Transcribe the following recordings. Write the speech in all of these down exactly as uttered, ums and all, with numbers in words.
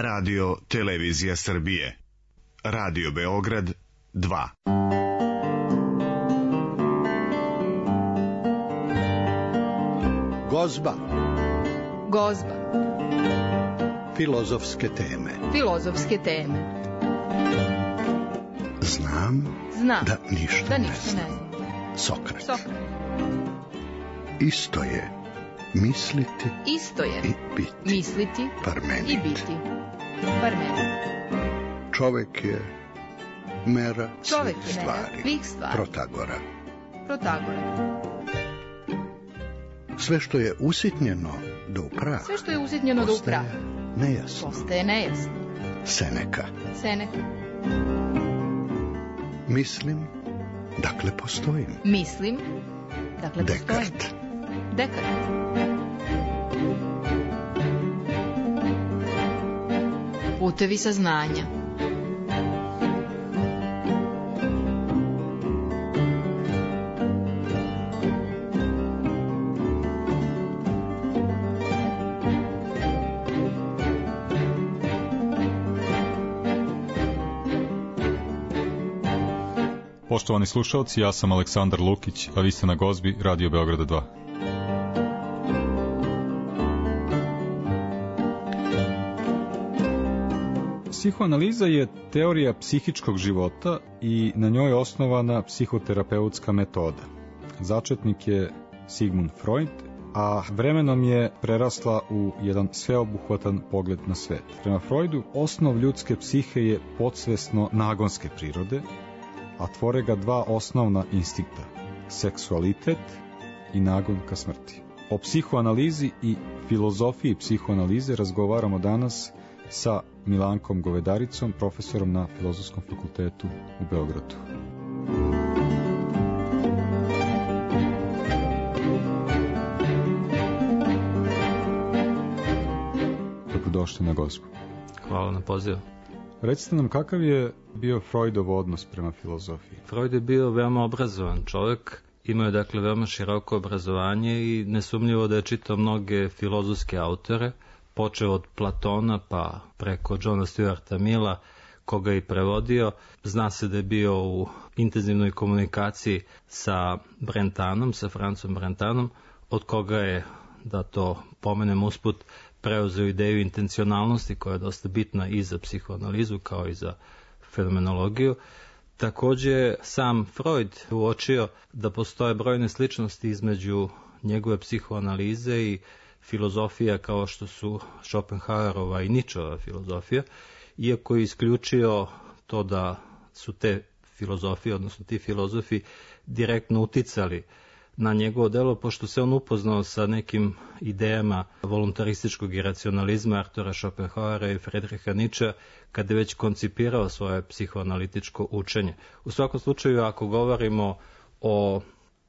Radio Televizija Srbije. Radio Beograd dva. Gozba. Gozba. Filozofske teme. Filozofske teme. Znam, Znam da ništa, da ne, ništa znam. ne znam. Sokrat. Sokrat. Isto je misliti Isto je i biti. misliti Parmenid. i biti. Parmenid. Čovek je mera Čovek svih je mera stvari. svih stvari. Protagora. Protagora. Sve što je usitnjeno do upraha. Sve što je usitnjeno do upraha. Nejasno. Postaje nejasno. Seneka. Seneka. Mislim, dakle postojim. Mislim, dakle postojim. Dekart. Dekart. Putevi saznanja. Poštovani slušalci, ja sam Aleksandar Lukić, a vi ste na Gozbi Radio Beograda dva. Psihoanaliza je teorija psihičkog života i na njoj je osnovana psihoterapeutska metoda. Začetnik je Sigmund Freud, a vremenom je prerasla u jedan sveobuhvatan pogled na svet. Prema Freudu, osnov ljudske psihe je podsvesno nagonske prirode, a tvore ga dva osnovna instinkta, seksualitet i nagon ka smrti. O psihoanalizi i filozofiji psihoanalize razgovaramo danas sa Milankom Govedaricom, profesorom na Filozofskom fakultetu u Beogradu. Dobrodošli na Gozbu. Hvala na pozivu. Recite nam, kakav je bio Freudov odnos prema filozofiji? Freud je bio veoma obrazovan čovjek, imao je dakle veoma široko obrazovanje i nesumnjivo da je čitao mnoge filozofske autore, počeo od Platona pa preko Johna Stuarta Milla, koga je i prevodio. Zna se da je bio u intenzivnoj komunikaciji sa Brentanom, sa Francom Brentanom, od koga je, da to pomenem usput, preuzeo ideju intencionalnosti koja je dosta bitna i za psihoanalizu kao i za fenomenologiju. Također sam Freud uočio da postoje brojne sličnosti između njegove psihoanalize i filozofija kao što su Schopenhauerova i Nietzscheova filozofija, iako je isključio to da su te filozofije, odnosno ti filozofi, direktno uticali na njegovo delo, pošto se on upoznao sa nekim idejama voluntarističkog iracionalizma Artura Schopenhauera i Friedricha Nietzschea, kada je već koncipirao svoje psihoanalitičko učenje. U svakom slučaju, ako govorimo o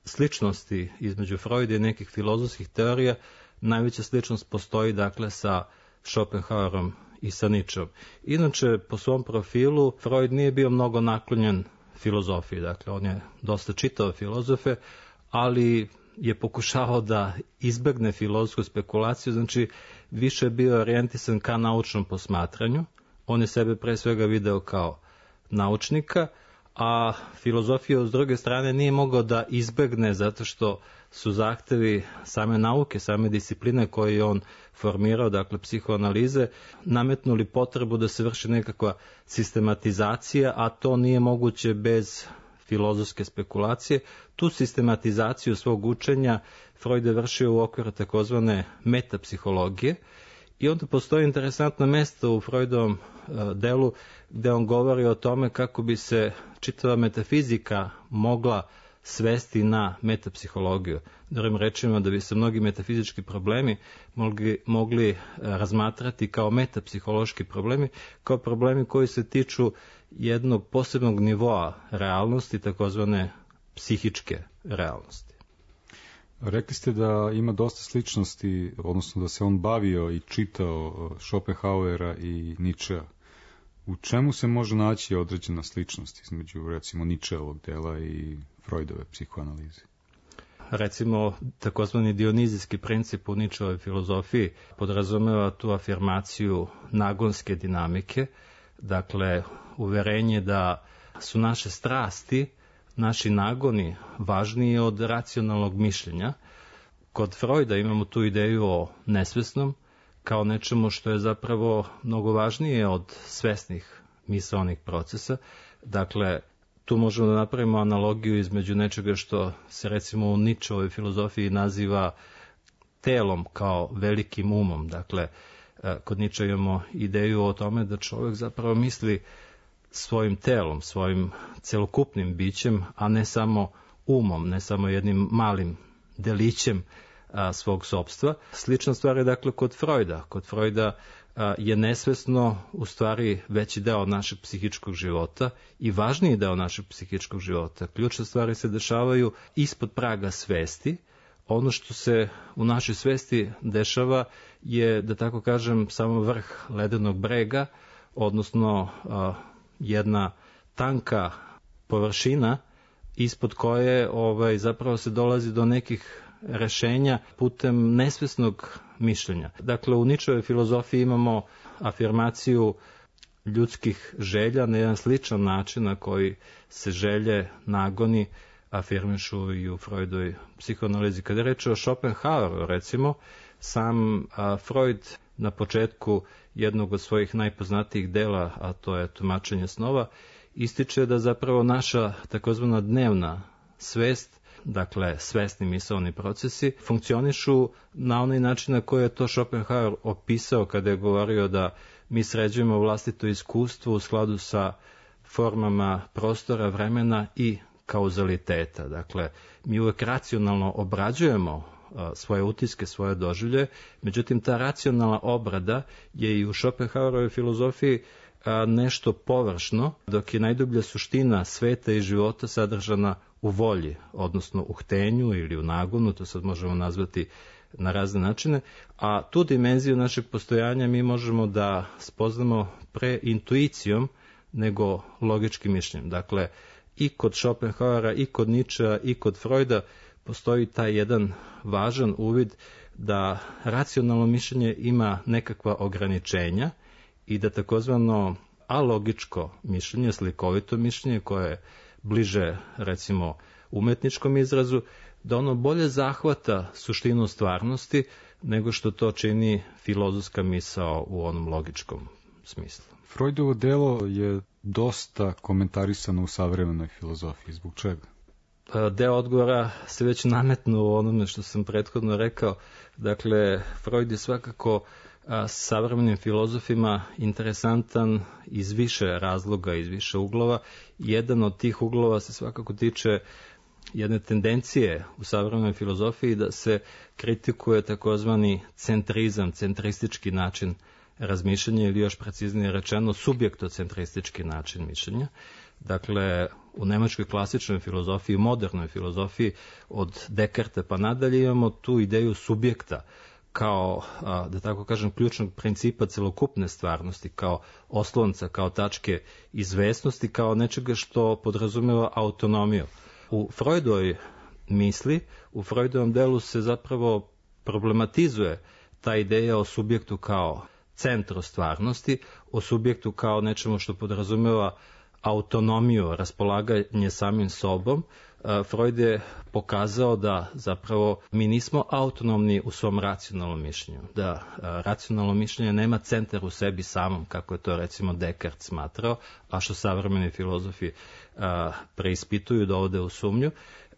sličnosti između Freuda i nekih filozofskih teorija, najveća sličnost postoji dakle sa Schopenhauerom i sa Nietzscheom. Inače, po svom profilu, Freud nije bio mnogo naklonjen filozofiji, dakle on je dosta čitao filozofe, ali je pokušavao da izbegne filozofsku spekulaciju, znači više je bio orijentisan ka naučnom posmatranju. On je sebe pre svega video kao naučnika, a filozofija s druge strane nije mogao da izbegne zato što su zahtevi same nauke, same discipline koje je on formirao, dakle psihoanalize, nametnuli potrebu da se vrši nekakva sistematizacija, a to nije moguće bez filozofske spekulacije. Tu sistematizaciju svog učenja Freud je vršio u okviru takozvane metapsihologije i onda postoji interesantno mesto u Freudovom delu gde on govori o tome kako bi se čitava metafizika mogla svesti na metapsihologiju. Drugim rečima, da bi se mnogi metafizički problemi mogli, mogli razmatrati kao metapsihološki problemi, kao problemi koji se tiču jednog posebnog nivoa realnosti, takozvane psihičke realnosti. Rekli ste da ima dosta sličnosti, odnosno da se on bavio i čitao Schopenhauera i Nietzschea. U čemu se može naći određena sličnost između, recimo, Nietzscheovog dela i Freudove psihoanalize? recimo takozvani dionizijski princip u Ničevoj filozofiji podrazumeva tu afirmaciju nagonske dinamike, dakle uverenje da su naše strasti, naši nagoni važniji od racionalnog mišljenja. Kod Freuda imamo tu ideju o nesvesnom kao nečemu što je zapravo mnogo važnije od svesnih misaonih procesa. Dakle, tu možemo da napravimo analogiju između nečega što se recimo u Ničevoj filozofiji naziva telom kao velikim umom. Dakle, kod Niča imamo ideju o tome da čovjek zapravo misli svojim telom, svojim celokupnim bićem, a ne samo umom, ne samo jednim malim delićem a, svog sopstva. Slična stvar je dakle kod Freuda. Kod Freuda a, je nesvesno u stvari veći deo našeg psihičkog života i važniji deo našeg psihičkog života. Ključne stvari se dešavaju ispod praga svesti. Ono što se u našoj svesti dešava je, da tako kažem, samo vrh ledenog brega, odnosno a, jedna tanka površina ispod koje ovaj, zapravo se dolazi do nekih rešenja putem nesvesnog mišljenja. Dakle, u Ničevoj filozofiji imamo afirmaciju ljudskih želja na jedan sličan način na koji se želje, nagoni afirmišu i u Freudovoj psihoanalizi. Kada je reč o Schopenhaueru, recimo, sam a, Freud na početku jednog od svojih najpoznatijih dela, a to je Tumačenje snova, ističe da zapravo naša takozvana dnevna svest, dakle svesni misaoni procesi, funkcionišu na onaj način na koji je to Schopenhauer opisao kada je govorio da mi sređujemo vlastito iskustvo u skladu sa formama prostora, vremena i kauzaliteta. Dakle, mi uvek racionalno obrađujemo svoje utiske, svoje doživlje, međutim ta racionalna obrada je i u Schopenhauerovoj filozofiji nešto površno, dok je najdublja suština sveta i života sadržana u volji, odnosno u htenju ili u nagonu, to sad možemo nazvati na razne načine, a tu dimenziju našeg postojanja mi možemo da spoznamo pre intuicijom nego logičkim mišljenjem. Dakle, i kod Schopenhauera, i kod Ničea, i kod Freuda postoji taj jedan važan uvid da racionalno mišljenje ima nekakva ograničenja i da takozvano alogičko mišljenje, slikovito mišljenje koje je bliže recimo umetničkom izrazu, da ono bolje zahvata suštinu stvarnosti nego što to čini filozofska misao u onom logičkom smislu. Freudovo delo je dosta komentarisano u savremenoj filozofiji. Zbog čega? Deo odgovora se već nametnuo u onome što sam prethodno rekao. Dakle, Freud je svakako a, savremenim filozofima interesantan iz više razloga, iz više uglova. Jedan od tih uglova se svakako tiče jedne tendencije u savremenoj filozofiji da se kritikuje takozvani centrizam, centristički način razmišljanja ili još preciznije rečeno subjektocentristički način mišljenja. Dakle, u nemačkoj klasičnoj filozofiji, modernoj filozofiji od Dekarta pa nadalje imamo tu ideju subjekta kao, da tako kažem, ključnog principa celokupne stvarnosti, kao oslonca, kao tačke izvesnosti, kao nečega što podrazumeva autonomiju. U Freudovoj misli, u Freudovom delu se zapravo problematizuje ta ideja o subjektu kao centru stvarnosti, o subjektu kao nečemu što podrazumeva autonomiju, raspolaganje samim sobom. Freud je pokazao da zapravo mi nismo autonomni u svom racionalnom mišljenju, da racionalno mišljenje nema centar u sebi samom, kako je to recimo Descartes smatrao, a što savremeni filozofi preispituju, dovode u sumnju,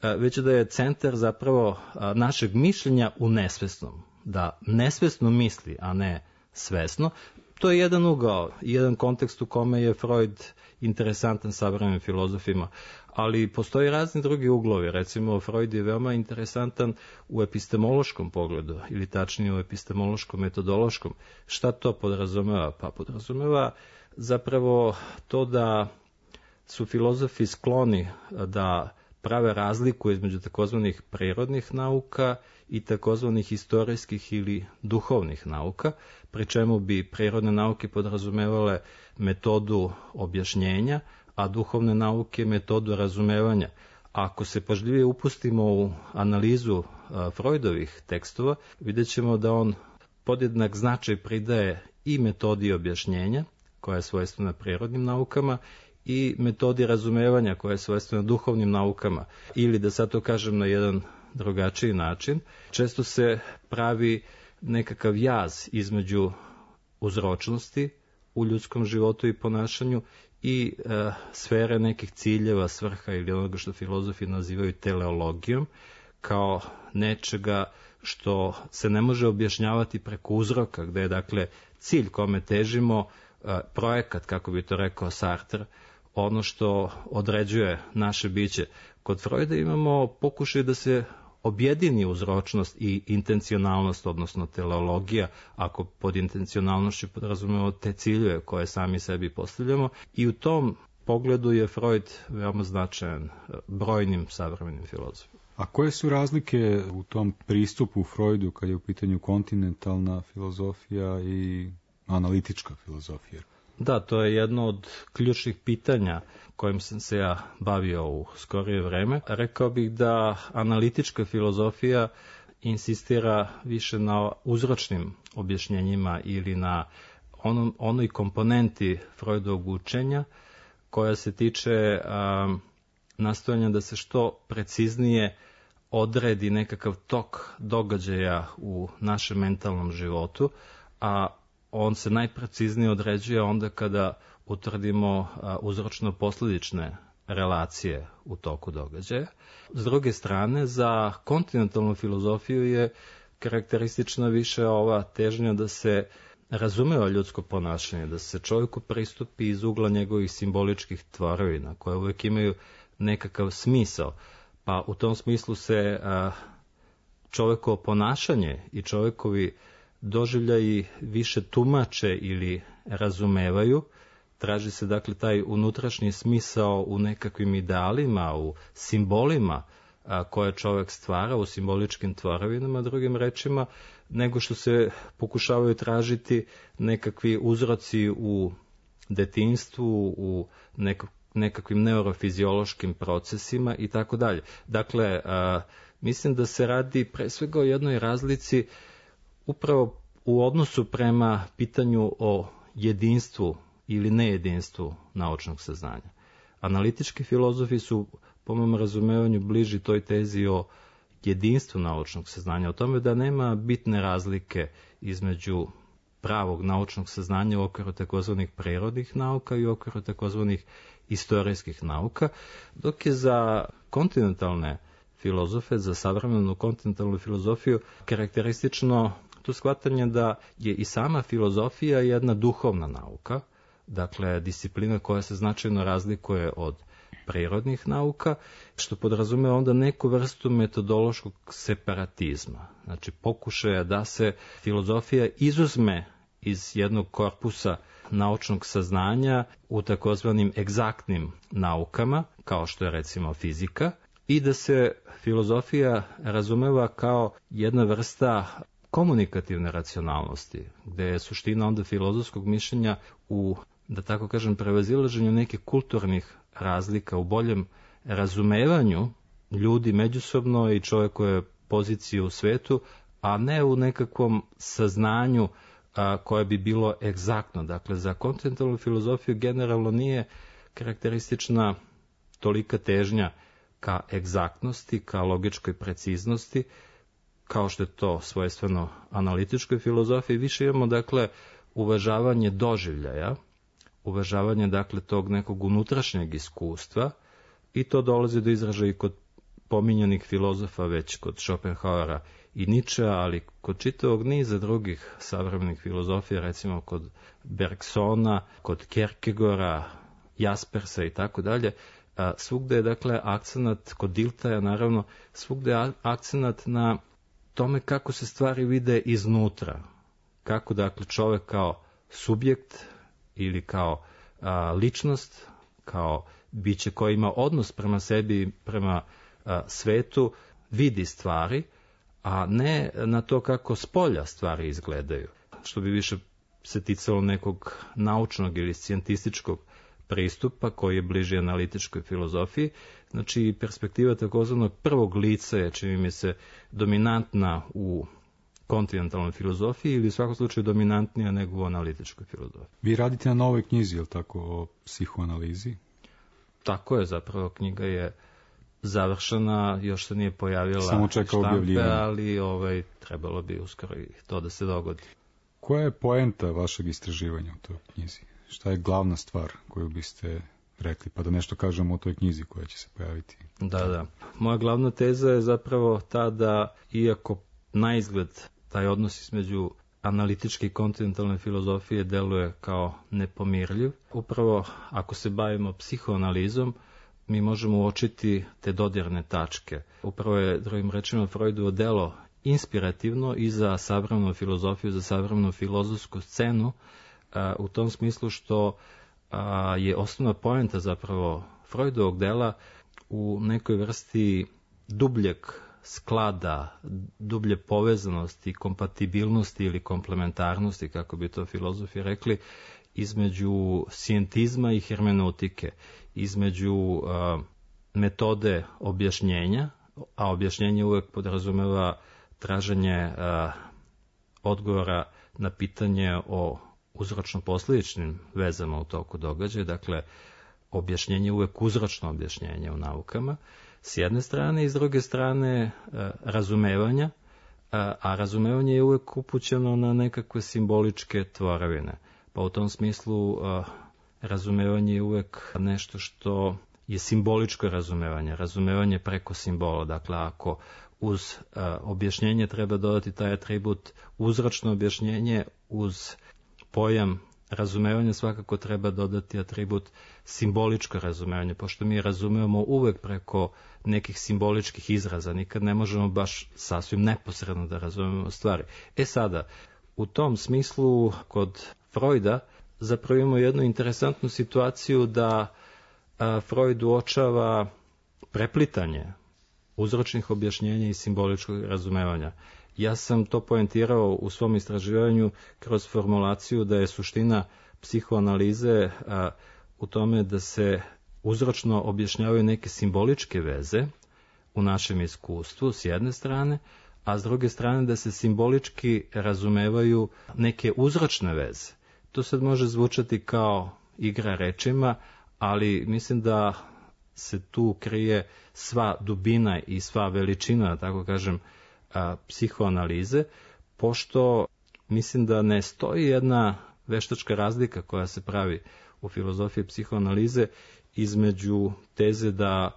već da je centar zapravo našeg mišljenja u nesvesnom, da nesvesno misli, a ne svesno. To je jedan ugao, jedan kontekst u kome je Freud interesantan savremenim filozofima, ali postoji razni drugi uglovi. Recimo, Freud je veoma interesantan u epistemološkom pogledu, ili tačnije u epistemološkom metodološkom. Šta to podrazumeva? Pa podrazumeva zapravo to da su filozofi skloni da prave razliku između takozvanih prirodnih nauka i takozvanih istorijskih ili duhovnih nauka, pri čemu bi prirodne nauke podrazumevale metodu objašnjenja, a duhovne nauke metodu razumevanja. Ako se pažljivije upustimo u analizu Freudovih tekstova, vidjet ćemo da on podjednak značaj pridaje i metodi objašnjenja, koja je svojstvena prirodnim naukama, i metodi razumevanja, koja je svojstvena duhovnim naukama. Ili, da sad to kažem na jedan drugačiji način, često se pravi nekakav jaz između uzročnosti u ljudskom životu i ponašanju i e, sfere nekih ciljeva, svrha ili onoga što filozofi nazivaju teleologijom, kao nečega što se ne može objašnjavati preko uzroka, gde je dakle cilj kome težimo, e, projekat, kako bi to rekao Sartre, ono što određuje naše biće. Kod Freuda imamo pokušaj da se objedini uzročnost i intencionalnost, odnosno teleologija, ako pod intencionalnošću podrazumemo te ciljeve koje sami sebi postavljamo, i u tom pogledu je Freud veoma značajan brojnim savremenim filozofima. A koje su razlike u tom pristupu u Freudu kad je u pitanju kontinentalna filozofija i analitička filozofija? Da, to je jedno od ključnih pitanja kojim sam se ja bavio u skorije vreme. Rekao bih da analitička filozofija insistira više na uzročnim objašnjenjima ili na onom, onoj komponenti Freudovog učenja koja se tiče a, nastojanja da se što preciznije odredi nekakav tok događaja u našem mentalnom životu, a on se najpreciznije određuje onda kada utvrdimo uzročno-posledične relacije u toku događaja. S druge strane, za kontinentalnu filozofiju je karakteristična više ova težnja da se razumeva ljudsko ponašanje, da se čovjeku pristupi iz ugla njegovih simboličkih tvorevina, koje uvijek imaju nekakav smisao. Pa u tom smislu se čovjekovo ponašanje i čovjekovi doživljaji više tumače ili razumevaju, traži se dakle taj unutrašnji smisao u nekakvim idealima, u simbolima a, koje čovjek stvara, u simboličkim tvorevinama, drugim rečima, nego što se pokušavaju tražiti nekakvi uzroci u detinjstvu, u nek, nekakvim neurofiziološkim procesima i tako dalje. Dakle, a, mislim da se radi pre svega o jednoj razlici upravo u odnosu prema pitanju o jedinstvu ili nejedinstvu naučnog saznanja. Analitički filozofi su, po mom razumevanju, bliži toj tezi o jedinstvu naučnog saznanja, o tome da nema bitne razlike između pravog naučnog saznanja u okviru takozvanih prirodnih nauka i u okviru takozvanih istorijskih nauka, dok je za kontinentalne filozofe, za savremenu kontinentalnu filozofiju karakteristično to shvatanje da je i sama filozofija jedna duhovna nauka, dakle disciplina koja se značajno razlikuje od prirodnih nauka, što podrazume onda neku vrstu metodološkog separatizma. Znači pokušaja da se filozofija izuzme iz jednog korpusa naučnog saznanja u takozvanim egzaktnim naukama, kao što je recimo fizika, i da se filozofija razumeva kao jedna vrsta komunikativne racionalnosti, gde je suština onda filozofskog mišljenja u, da tako kažem, prevazilaženju nekih kulturnih razlika, u boljem razumevanju ljudi međusobno i čovjekove pozicije u svetu, a ne u nekakvom saznanju a, koje bi bilo egzaktno. Dakle, za kontinentalnu filozofiju generalno nije karakteristična tolika težnja ka egzaktnosti, ka logičkoj preciznosti, kao što je to svojstveno analitičkoj filozofiji. Više imamo, dakle, uvažavanje doživljaja, uvažavanje, dakle, tog nekog unutrašnjeg iskustva, i to dolazi do izražaja i kod pominjanih filozofa, već kod Schopenhauera i Nietzschea, ali kod čitavog niza drugih savremenih filozofija, recimo kod Bergsona, kod Kierkegaarda, Jaspersa i tako dalje. Svugde je, dakle, akcenat, kod Diltaja naravno, svugde je akcenat na tome kako se stvari vide iznutra, kako, dakle, čovjek kao subjekt ili kao a, ličnost, kao biće koje ima odnos prema sebi, prema a, svetu, vidi stvari, a ne na to kako s polja stvari izgledaju, što bi više se ticalo nekog naučnog ili scijentističkog pristupa koji je bliži analitičkoj filozofiji. Znači, perspektiva takozvanog prvog lica je, čini mi se, dominantna u kontinentalnoj filozofiji ili u svakom slučaju dominantnija nego u analitičkoj filozofiji. Vi radite na novoj knjizi, je li tako, o psihoanalizi? Tako je, zapravo knjiga je završena, još se nije pojavila samo čeka objavljivanje, ali ovaj, trebalo bi uskoro i to da se dogodi. Koja je poenta vašeg istraživanja u toj knjizi? Šta je glavna stvar koju biste rekli, pa da nešto kažemo o toj knjizi koja će se pojaviti? Da, da. Moja glavna teza je zapravo ta da, iako na izgled taj odnos između analitičke i kontinentalne filozofije deluje kao nepomirljiv, upravo ako se bavimo psihoanalizom, mi možemo uočiti te dodirne tačke. Upravo je, drugim rečima, Freudovo delo inspirativno i za savremenu filozofiju, za savremenu filozofsku scenu, a, u tom smislu što a, je osnovna poenta zapravo Freudovog dela u nekoj vrsti dubljeg sklada, dublje povezanosti, kompatibilnosti ili komplementarnosti, kako bi to filozofi rekli, između scientizma i hermeneutike, između uh, metode objašnjenja, a objašnjenje uvek podrazumeva traženje uh, odgovora na pitanje o uzročno-posljedičnim vezama u toku događaja, dakle, objašnjenje uvek uzročno objašnjenje u naukama, s jedne strane, i s druge strane uh, razumevanja, uh, a razumevanje je uvek upućeno na nekakve simboličke tvorevine. Pa u tom smislu uh, razumevanje je uvek nešto što je simboličko razumevanje, razumevanje preko simbola. Dakle, ako uz uh, objašnjenje treba dodati taj atribut uzročno objašnjenje, uz pojam razumevanja svakako treba dodati atribut simboličko razumevanje, pošto mi razumevamo uvek preko nekih simboličkih izraza, nikad ne možemo baš sasvim neposredno da razumemo stvari. E sada, u tom smislu kod Freuda zapravo imamo jednu interesantnu situaciju da a, Freud uočava preplitanje uzročnih objašnjenja i simboličkog razumevanja. Ja sam to poentirao u svom istraživanju kroz formulaciju da je suština psihoanalize a, u tome da se uzročno objašnjavaju neke simboličke veze u našem iskustvu s jedne strane, a s druge strane da se simbolički razumevaju neke uzročne veze. To sad može zvučati kao igra rečima, ali mislim da se tu krije sva dubina i sva veličina, tako kažem, a, psihoanalize, pošto mislim da ne stoji jedna veštačka razlika koja se pravi u filozofiji psihoanalize između teze da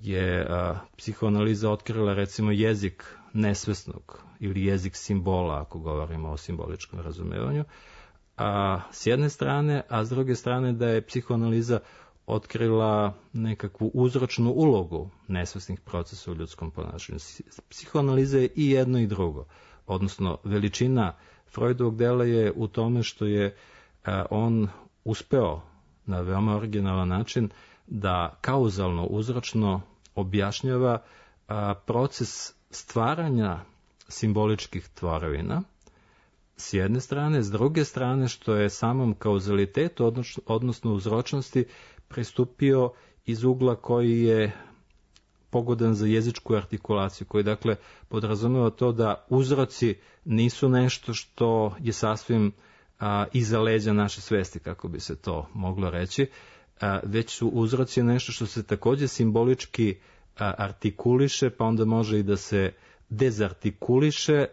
je a, psihoanaliza otkrila recimo jezik nesvesnog ili jezik simbola, ako govorimo o simboličkom razumevanju, a s jedne strane, a s druge strane da je psihoanaliza otkrila nekakvu uzročnu ulogu nesvesnih procesa u ljudskom ponašanju. Psihoanaliza je i jedno i drugo, odnosno veličina Freudovog dela je u tome što je a, on uspeo na veoma originalan način da kauzalno, uzročno objašnjava a, proces stvaranja simboličkih tvorevina s jedne strane, s druge strane što je samom kauzalitetu, odnosno uzročnosti, pristupio iz ugla koji je pogodan za jezičku artikulaciju, koji dakle podrazumeva to da uzroci nisu nešto što je sasvim a, iza leđa naše svesti, kako bi se to moglo reći, a, već su uzroci nešto što se takođe simbolički a, artikuliše, pa onda može i da se dezartikuliše,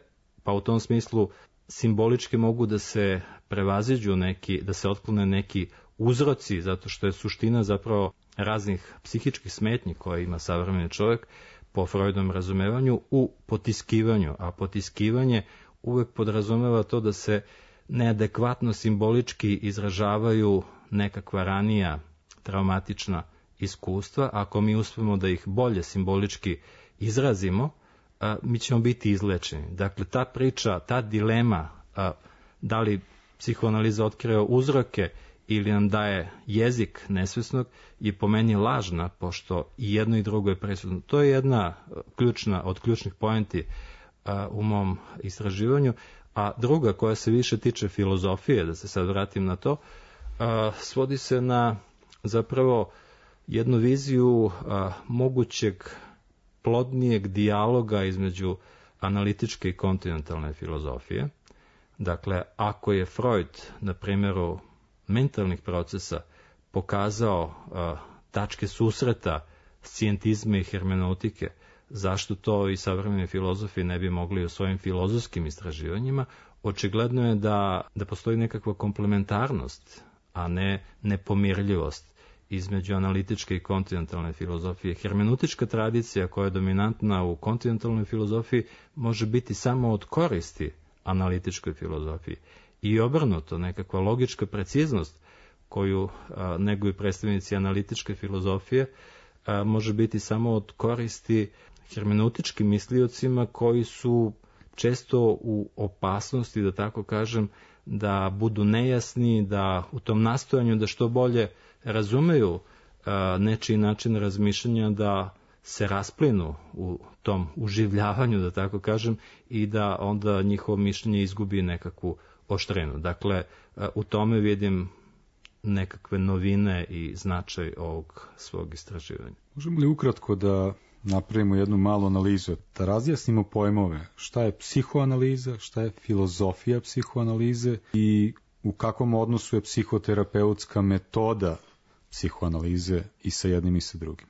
pa u tom smislu simbolički mogu da se prevaziđu neki, da se otklone neki uzroci, zato što je suština zapravo raznih psihičkih smetnji koje ima savremeni čovjek po Freudovom razumevanju u potiskivanju, a potiskivanje uvek podrazumeva to da se neadekvatno simbolički izražavaju nekakva ranija traumatična iskustva. Ako mi uspemo da ih bolje simbolički izrazimo, a, mi ćemo biti izlečeni. Dakle, ta priča, ta dilema, a, da li psihoanaliza otkriva uzroke ili nam daje jezik nesvesnog, je po meni lažna, pošto i jedno i drugo je presudno. To je jedna ključna, od ključnih poenti a, u mom istraživanju, a druga koja se više tiče filozofije, da se sad vratim na to, a, svodi se na zapravo jednu viziju a, mogućeg plodnijeg dijaloga između analitičke i kontinentalne filozofije. Dakle, ako je Freud na primjeru mentalnih procesa pokazao a, tačke susreta scijentizma i hermeneutike, zašto to i savremeni filozofi ne bi mogli u svojim filozofskim istraživanjima? Očigledno je da, da postoji nekakva komplementarnost, a ne nepomirljivost između analitičke i kontinentalne filozofije. Hermeneutička tradicija koja je dominantna u kontinentalnoj filozofiji može biti samo od koristi analitičkoj filozofiji. I obrnuto, nekakva logička preciznost koju a, neguju predstavnici analitičke filozofije a, može biti samo od koristi hermeneutičkim misliocima koji su često u opasnosti, da tako kažem, da budu nejasni, da u tom nastojanju da što bolje razumeju a, nečiji način razmišljanja, da se rasplinu u tom uživljavanju, da tako kažem, i da onda njihovo mišljenje izgubi nekakvu oštrinu. Dakle, a, u tome vidim nekakve novine i značaj ovog svog istraživanja. Možemo li ukratko da napravimo jednu malu analizu, da razjasnimo pojmove šta je psihoanaliza, šta je filozofija psihoanalize i u kakvom odnosu je psihoterapeutska metoda psihoanalize i sa jednim i sa drugim?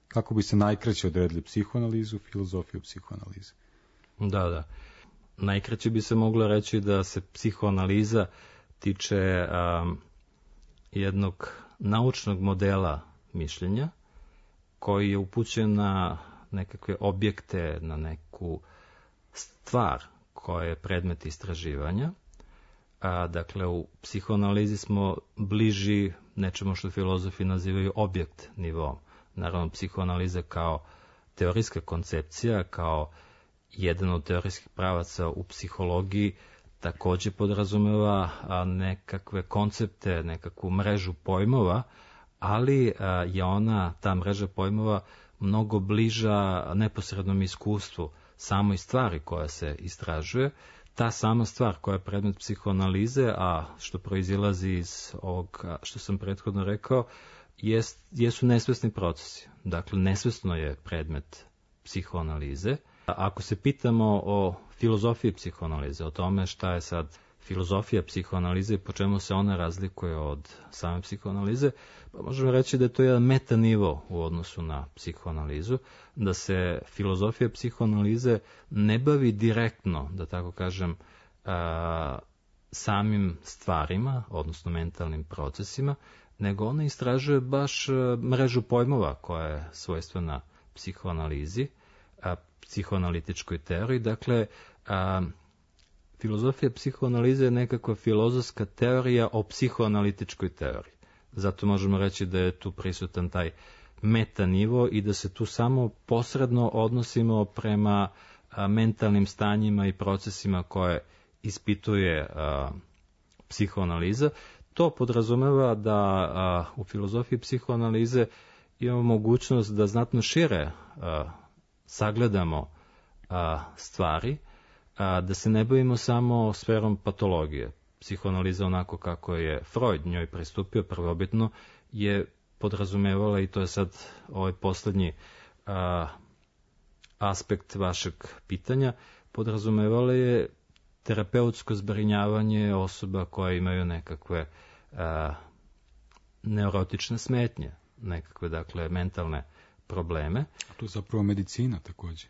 Kako bi se najkraće odredili psihoanalizu, filozofiju psihoanalize? Da, da. Najkraće bi se moglo reći da se psihoanaliza tiče um, jednog naučnog modela mišljenja koji je upućen na nekakve objekte, na neku stvar koja je predmet istraživanja. A, dakle, u psihoanalizi smo bliži nečemu što filozofi nazivaju objekt nivom. Naravno, psihoanaliza kao teorijska koncepcija, kao jedan od teorijskih pravaca u psihologiji, takođe podrazumeva a, nekakve koncepte, nekakvu mrežu pojmova, ali a, je ona, ta mreža pojmova, mnogo bliža neposrednom iskustvu samoj stvari koja se istražuje. Ta sama stvar koja je predmet psihoanalize, a što proizilazi iz ovog što sam prethodno rekao, jest, jesu nesvesni procesi. Dakle, nesvesno je predmet psihoanalize. Ako se pitamo o filozofiji psihoanalize, o tome šta je sad filozofija psihoanalize i po čemu se ona razlikuje od same psihoanalize, pa možemo reći da je to jedan metanivo u odnosu na psihoanalizu, da se filozofija psihoanalize ne bavi direktno, da tako kažem, a, samim stvarima, odnosno mentalnim procesima, nego ona istražuje baš mrežu pojmova koja je svojstvena psihoanalizi, a, psihoanalitičkoj teoriji. Dakle, a, filozofija psihoanalize je nekakva filozofska teorija o psihoanalitičkoj teoriji. Zato možemo reći da je tu prisutan taj metanivo i da se tu samo posredno odnosimo prema a, mentalnim stanjima i procesima koje ispituje a, psihoanaliza. To podrazumeva da a, u filozofiji psihoanalize imamo mogućnost da znatno šire a, sagledamo a, stvari, a, da se ne bavimo samo sferom patologije. Psihoanaliza, onako kako je Freud njoj pristupio prvobitno, je podrazumevala, i to je sad ovaj poslednji a, aspekt vašeg pitanja, podrazumevala je terapeutsko zbrinjavanje osoba koje imaju nekakve a, neurotične smetnje, nekakve, dakle, mentalne probleme. A to je zapravo medicina takođe.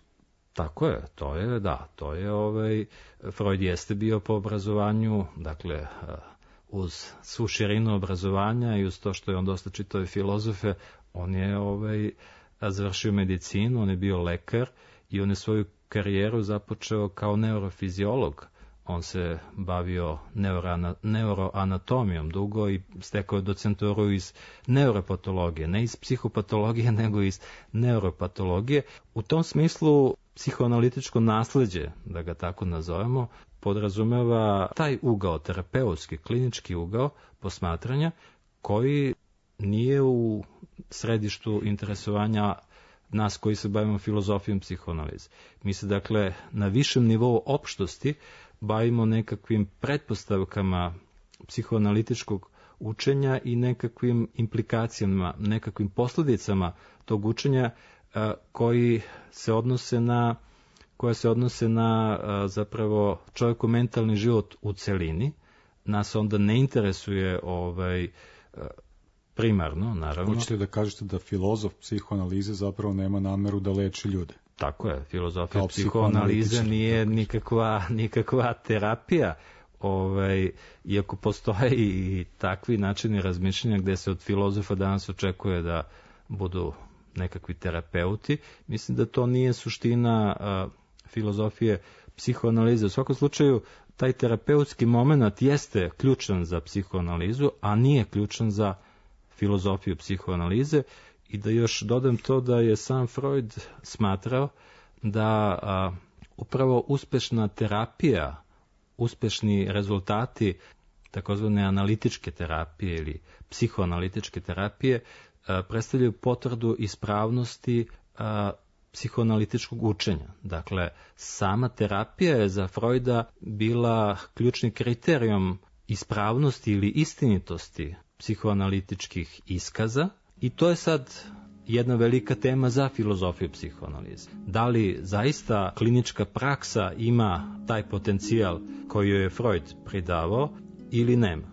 Tako je, to je, da, to je, ovaj, Freud jeste bio po obrazovanju, dakle, uz svu širinu obrazovanja i uz to što je on dosta čitao filozofe, on je, ovaj, završio medicinu, on je bio lekar i on je svoju karijeru započeo kao neurofiziolog. On se bavio neurana, neuroanatomijom dugo i stekao je docenturu iz neuropatologije, ne iz psihopatologije, nego iz neuropatologije. U tom smislu psihoanalitičko nasleđe, da ga tako nazovemo, podrazumeva taj ugao, terapeutski, klinički ugao posmatranja, koji nije u središtu interesovanja nas koji se bavimo filozofijom psihoanalize. Mi se, dakle, na višem nivou opštosti bavimo nekakvim pretpostavkama psihoanalitičkog učenja i nekakvim implikacijama, nekakvim posljedicama tog učenja koji se odnose na koje se odnose na zapravo čovjeku mentalni život u celini. Nas onda ne interesuje ovaj primarno, naravno. Hoćete da kažete da filozof psihoanalize zapravo nema nameru da leči ljude? Tako je, filozofija psihoanalize nije nikakva, nikakva terapija, ovaj, iako postoje i takvi načini razmišljanja gde se od filozofa danas očekuje da budu nekakvi terapeuti. Mislim da to nije suština a, filozofije psihoanalize. U svakom slučaju, taj terapeutski moment jeste ključan za psihoanalizu, a nije ključan za filozofiju psihoanalize. I da još dodam to da je sam Freud smatrao da a, upravo uspešna terapija, uspešni rezultati takozvane analitičke terapije ili psihoanalitičke terapije a, predstavljaju potvrdu ispravnosti a, psihoanalitičkog učenja. Dakle, sama terapija je za Freuda bila ključni kriterijum ispravnosti ili istinitosti psihoanalitičkih iskaza i to je sad jedna velika tema za filozofiju psihoanalize. Da li zaista klinička praksa ima taj potencijal koji joj je Freud pridavao ili nema?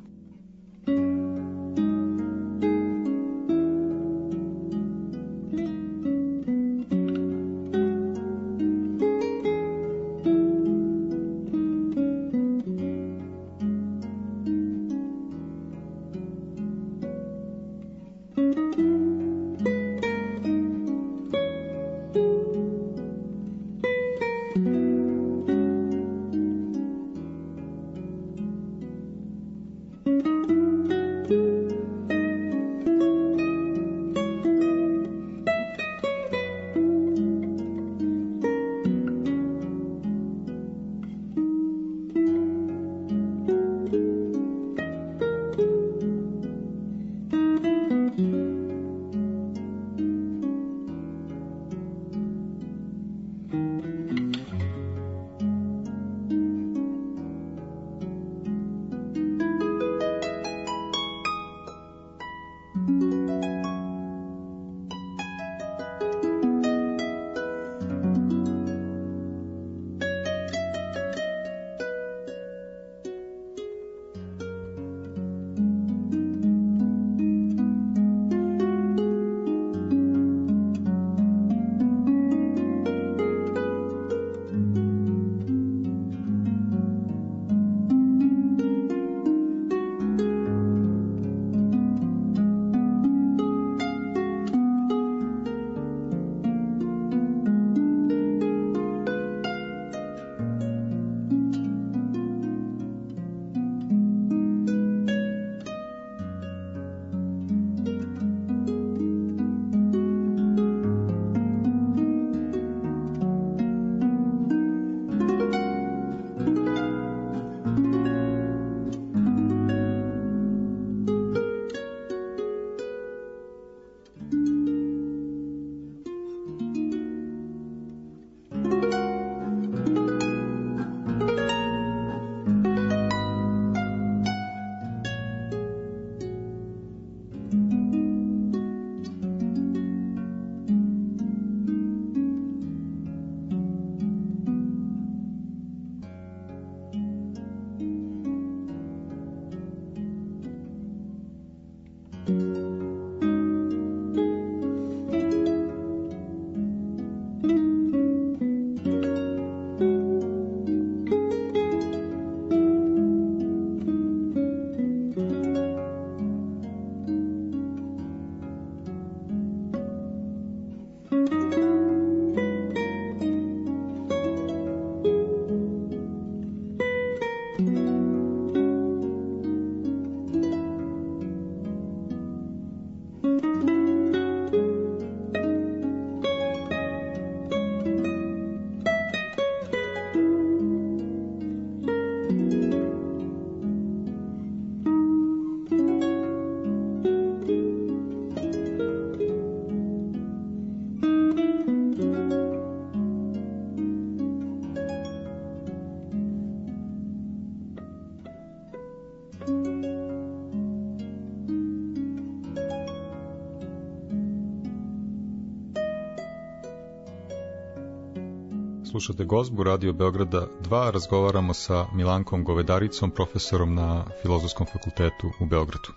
Slušate Gozbu, Radio Beograda dva, razgovaramo sa Milankom Govedaricom, profesorom na Filozofskom fakultetu u Beogradu.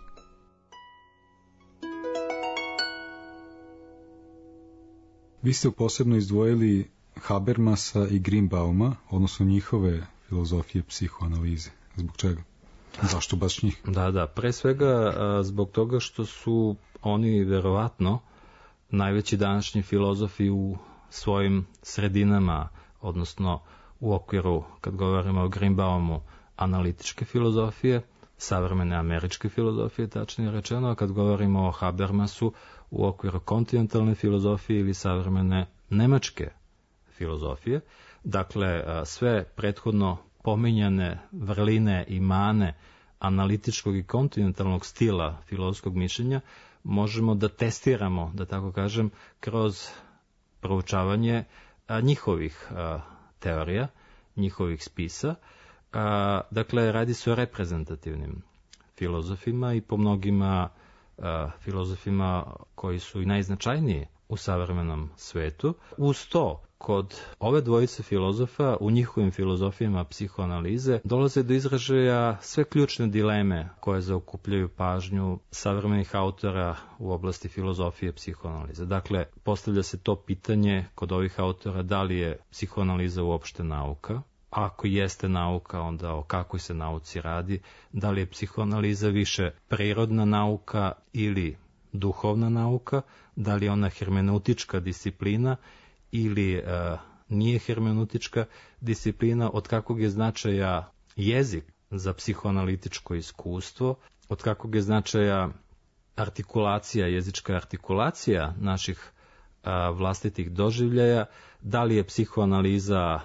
Vi ste posebno izdvojili Habermasa i Greenbauma, odnosno njihove filozofije psihoanalize. Zbog čega? Zašto baš njih? Da, da, pre svega zbog toga što su oni verovatno najveći današnji filozofi u svojim sredinama, odnosno u okviru, kad govorimo o Greenbaumu, analitičke filozofije, savremene američke filozofije, tačnije rečeno, a kad govorimo o Habermasu, u okviru kontinentalne filozofije ili savremene nemačke filozofije. Dakle, sve prethodno pominjane vrline i mane analitičkog i kontinentalnog stila filozofskog mišljenja možemo da testiramo, da tako kažem, kroz proučavanje njihovih teorija, njihovih spisa. Dakle, radi se o reprezentativnim filozofima i po mnogima filozofima koji su i najznačajniji u savremenom svetu. Uz to, kod ove dvojice filozofa, u njihovim filozofijama psihoanalize, dolaze do izražaja sve ključne dileme koje zaokupljaju pažnju savremenih autora u oblasti filozofije psihoanalize. Dakle, postavlja se to pitanje kod ovih autora da li je psihoanaliza uopšte nauka, ako jeste nauka, onda o kakvoj se nauci radi, da li je psihoanaliza više prirodna nauka ili duhovna nauka, da li je ona hermeneutička disciplina ili e, nije hermeneutička disciplina, od kakvog je značaja jezik za psihoanalitičko iskustvo, od kakvog je značaja artikulacija, jezička artikulacija naših a, vlastitih doživljaja, da li je psihoanaliza,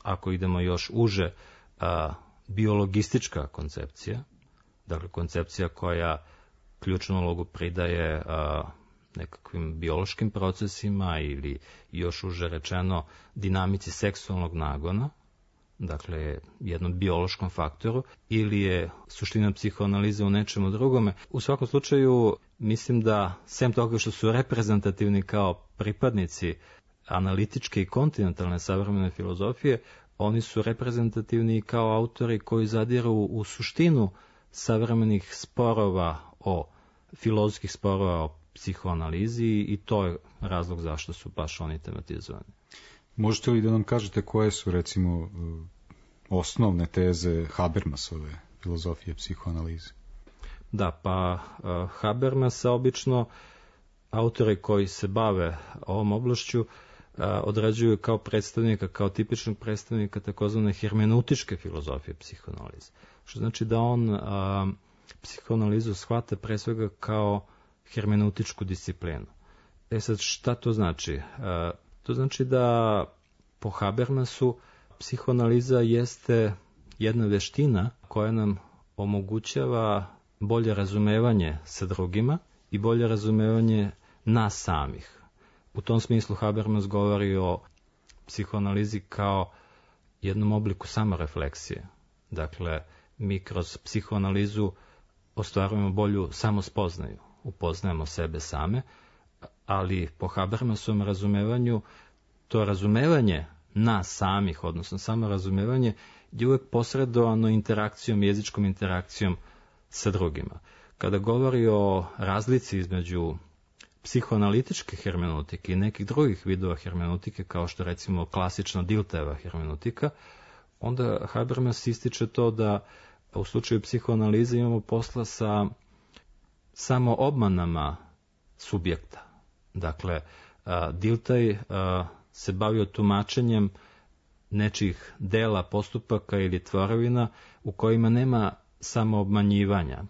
ako idemo još uže, a, biologistička koncepcija, dakle koncepcija koja ključnu ulogu pridaje a, nekakvim biološkim procesima ili još uže rečeno dinamici seksualnog nagona, dakle jednom biološkom faktoru, ili je suština psihoanalize u nečemu drugome. U svakom slučaju mislim da, sem toga što su reprezentativni kao pripadnici analitičke i kontinentalne savremene filozofije, oni su reprezentativni kao autori koji zadiru u suštinu savremenih sporova o filozofskih sporova o psihoanalizi i to je razlog zašto su baš oni tematizovani. Možete li da nam kažete koje su, recimo, osnovne teze Habermasove filozofije psihoanalize? Da, pa uh, Habermasa obično autori koji se bave ovom oblašću uh, određuju kao predstavnika, kao tipičnog predstavnika takozvane hermeneutičke filozofije psihoanalize. Što znači da on uh, psihoanalizu shvata pre svega kao hermeneutičku disciplinu. E sad, šta to znači? E, to znači da po Habermasu psihoanaliza jeste jedna veština koja nam omogućava bolje razumevanje sa drugima i bolje razumevanje nas samih. U tom smislu Habermas govori o psihoanalizi kao jednom obliku samorefleksije. Dakle, mi kroz psihoanalizu ostvarujemo bolju samospoznaju, upoznajemo sebe same, ali po Habermasovom razumevanju to razumevanje nas samih, odnosno samorazumevanje, je uvek posredovano interakcijom, jezičkom interakcijom sa drugima. Kada govori o razlici između psihoanalitičke hermenutike i nekih drugih vidova hermenutike, kao što recimo klasična Diltheyeva hermenutika, onda Habermas ističe to da u slučaju psihoanalize imamo posla sa samo obmanama subjekta. Dakle, Dilthey se bavio tumačenjem nečih dela, postupaka ili tvorevina u kojima nema samo obmanjivanja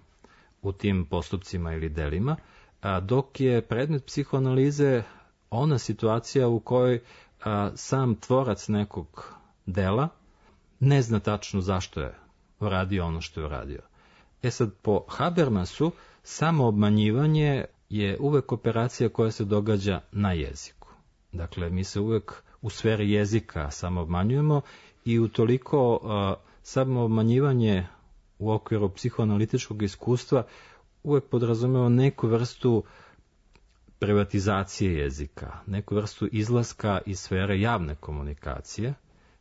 u tim postupcima ili delima, dok je predmet psihoanalize ona situacija u kojoj sam tvorac nekog dela ne zna tačno zašto je uradio ono što je uradio. E sad, po Habermasu, samo obmanjivanje je uvek operacija koja se događa na jeziku. Dakle, mi se uvek u sferi jezika samo obmanjujemo i utoliko uh, samo obmanjivanje u okviru psihoanalitičkog iskustva uvek podrazumeva neku vrstu privatizacije jezika, neku vrstu izlaska iz sfere javne komunikacije,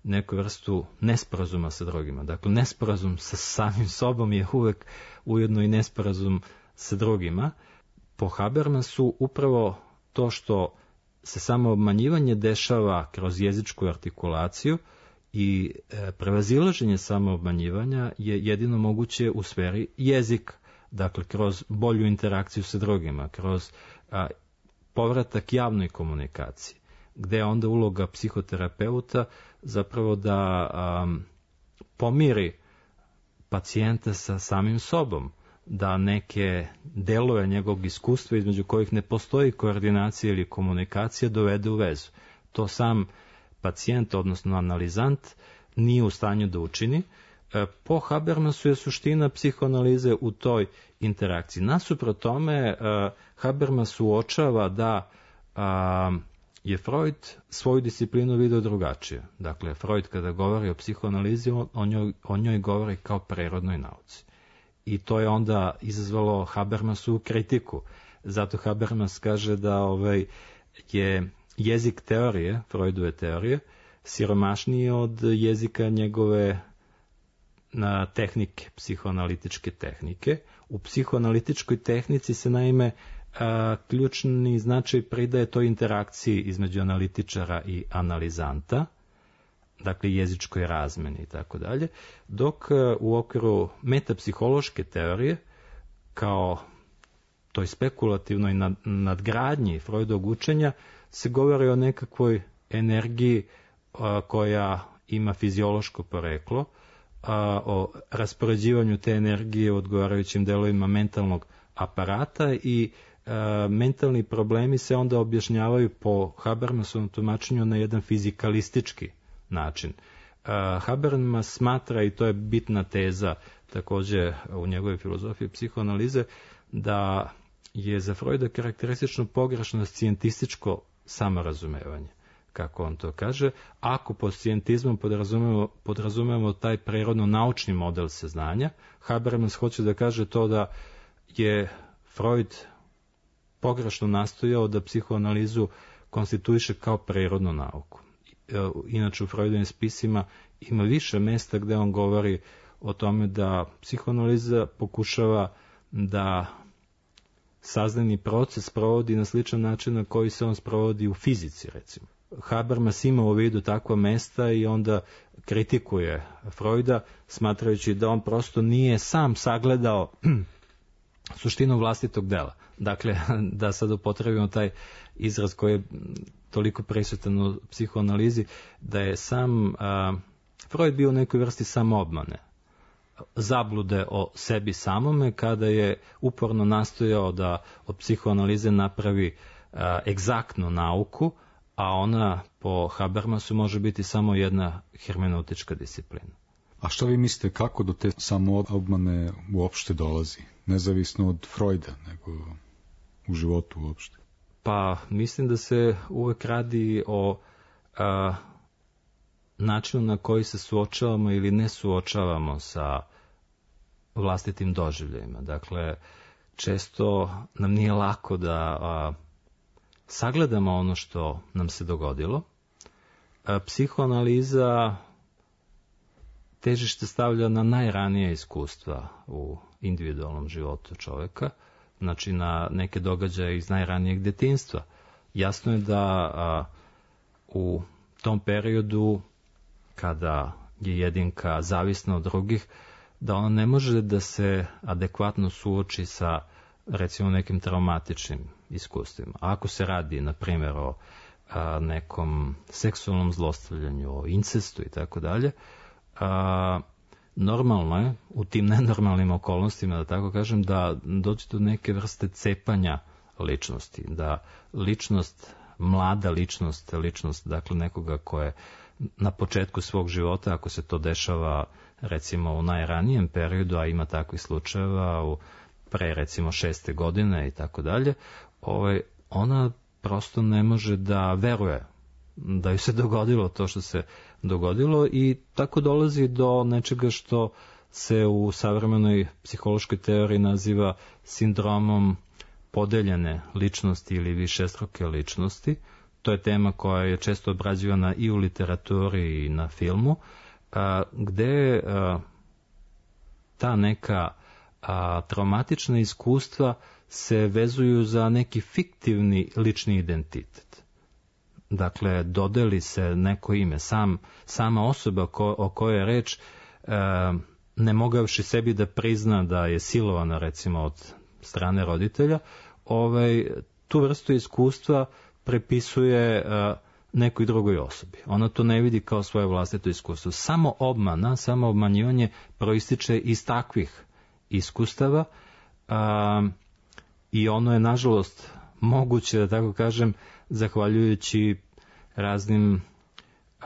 neku vrstu nesporazuma sa drugima. Dakle, nesporazum sa samim sobom je uvek ujedno i nesporazum sa drugima. Po Habermasu upravo to što se samo obmanjivanje dešava kroz jezičku artikulaciju i e, prevazilaženje samo obmanjivanja je jedino moguće u sferi jezika. Dakle, kroz bolju interakciju sa drugima, kroz a, povratak javnoj komunikaciji, gde je onda uloga psihoterapeuta zapravo da a, pomiri pacijenta sa samim sobom, da neke delove njegovog iskustva između kojih ne postoji koordinacija ili komunikacija dovede u vezu. To sam pacijent, odnosno analizant, nije u stanju da učini. Po Habermasu je suština psihoanalize u toj interakciji. Nasuprot tome, Habermas uočava da je Freud svoju disciplinu video drugačije. Dakle, Freud kada govori o psihoanalizi, o njoj, o njoj govori kao prirodnoj nauci. I to je onda izazvalo Habermasu kritiku. Zato Habermas kaže da ovaj, je jezik teorije, Freudove teorije, siromašniji od jezika njegove na tehnike, psihoanalitičke tehnike. U psihoanalitičkoj tehnici se naime a, ključni značaj pridaje toj interakciji između analitičara i analizanta, dakle jezičkoj razmeni i tako dalje, dok u okviru metapsihološke teorije, kao toj spekulativnoj nadgradnji Freudovog učenja, se govori o nekakvoj energiji a, koja ima fiziološko poreklo, a, o raspoređivanju te energije u odgovarajućim delovima mentalnog aparata i a, mentalni problemi se onda objašnjavaju po Habermasovom tumačenju na jedan fizikalistički način. Uh, Habermas smatra, i to je bitna teza takođe u njegovoj filozofiji psihoanalize, da je za Freuda karakteristično pogrešno scijentističko samorazumevanje, kako on to kaže. Ako pod scijentizmom podrazumemo, podrazumemo taj prirodno-naučni model saznanja, Habermas hoće da kaže to da je Freud pogrešno nastojao da psihoanalizu konstituiše kao prirodnu nauku. Inače u Freudovim spisima ima više mesta gde on govori o tome da psihoanaliza pokušava da saznani proces sprovodi na sličan način na koji se on sprovodi u fizici, recimo. Habermas ima u vidu takva mesta i onda kritikuje Freuda, smatrajući da on prosto nije sam sagledao suštinu vlastitog dela. Dakle, da sad upotrebimo taj izraz koji je toliko prisutan u psihoanalizi, da je sam a, Freud bio u nekoj vrsti samoobmane, zablude o sebi samome, kada je uporno nastojao da od psihoanalize napravi a, egzaktnu nauku, a ona po Habermasu može biti samo jedna hermeneutička disciplina. A što vi mislite, kako do te samoobmane uopšte dolazi? Nezavisno od Freuda, nego u životu uopšte? Pa mislim da se uvek radi o a, načinu na koji se suočavamo ili ne suočavamo sa vlastitim doživljajima. Dakle, često nam nije lako da a, sagledamo ono što nam se dogodilo. A, psihoanaliza težište stavlja na najranije iskustva u individualnom životu čoveka, znači na neke događaje iz najranijeg detinjstva. Jasno je da a, u tom periodu, kada je jedinka zavisna od drugih, da ona ne može da se adekvatno suoči sa, recimo, nekim traumatičnim iskustvima. Ako se radi, na primjer, o a, nekom seksualnom zlostavljanju, o incestu i tako dalje, normalno je u tim nenormalnim okolnostima, da tako kažem, da dođe do neke vrste cepanja ličnosti, da ličnost, mlada ličnost, ličnost dakle nekoga ko je na početku svog života, ako se to dešava recimo u najranijem periodu, a ima takvih slučajeva u pre recimo šeste godine i tako dalje, ovaj, ona prosto ne može da veruje da ju se dogodilo to što se dogodilo i tako dolazi do nečega što se u savremenoj psihološkoj teoriji naziva sindromom podeljene ličnosti ili višestruke ličnosti. To je tema koja je često obrađivana i u literaturi i na filmu, a, gde a, ta neka a, traumatična iskustva se vezuju za neki fiktivni lični identitet. Dakle, dodeli se neko ime, sam, sama osoba ko, o kojoj je reč, a, ne mogavši sebi da prizna da je silovana, recimo, od strane roditelja, ovaj, tu vrstu iskustva prepisuje uh, nekoj drugoj osobi. Ona to ne vidi kao svoje vlastito iskustvo. Samo obmana, samo obmanjivanje proističe iz takvih iskustava uh, i ono je, nažalost, moguće, da tako kažem, zahvaljujući raznim uh,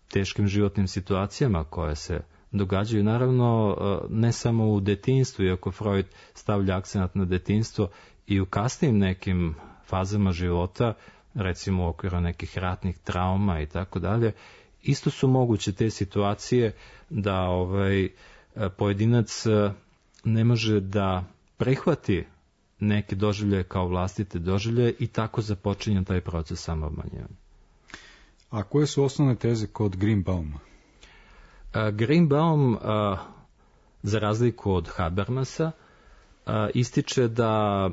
teškim životnim situacijama koje se događaju. Naravno, uh, ne samo u detinjstvu, iako Freud stavlja akcenat na detinjstvo, i u kasnim nekim fazama života, recimo u okviru nekih ratnih trauma i tako dalje, isto su moguće te situacije da ovaj pojedinac ne može da prihvati neke doživljaje kao vlastite doživljaje i tako započinje taj proces samoobmanjivanja. A koje su osnovne teze kod Greenbauma? Greenbaum, za razliku od Habermasa, ističe da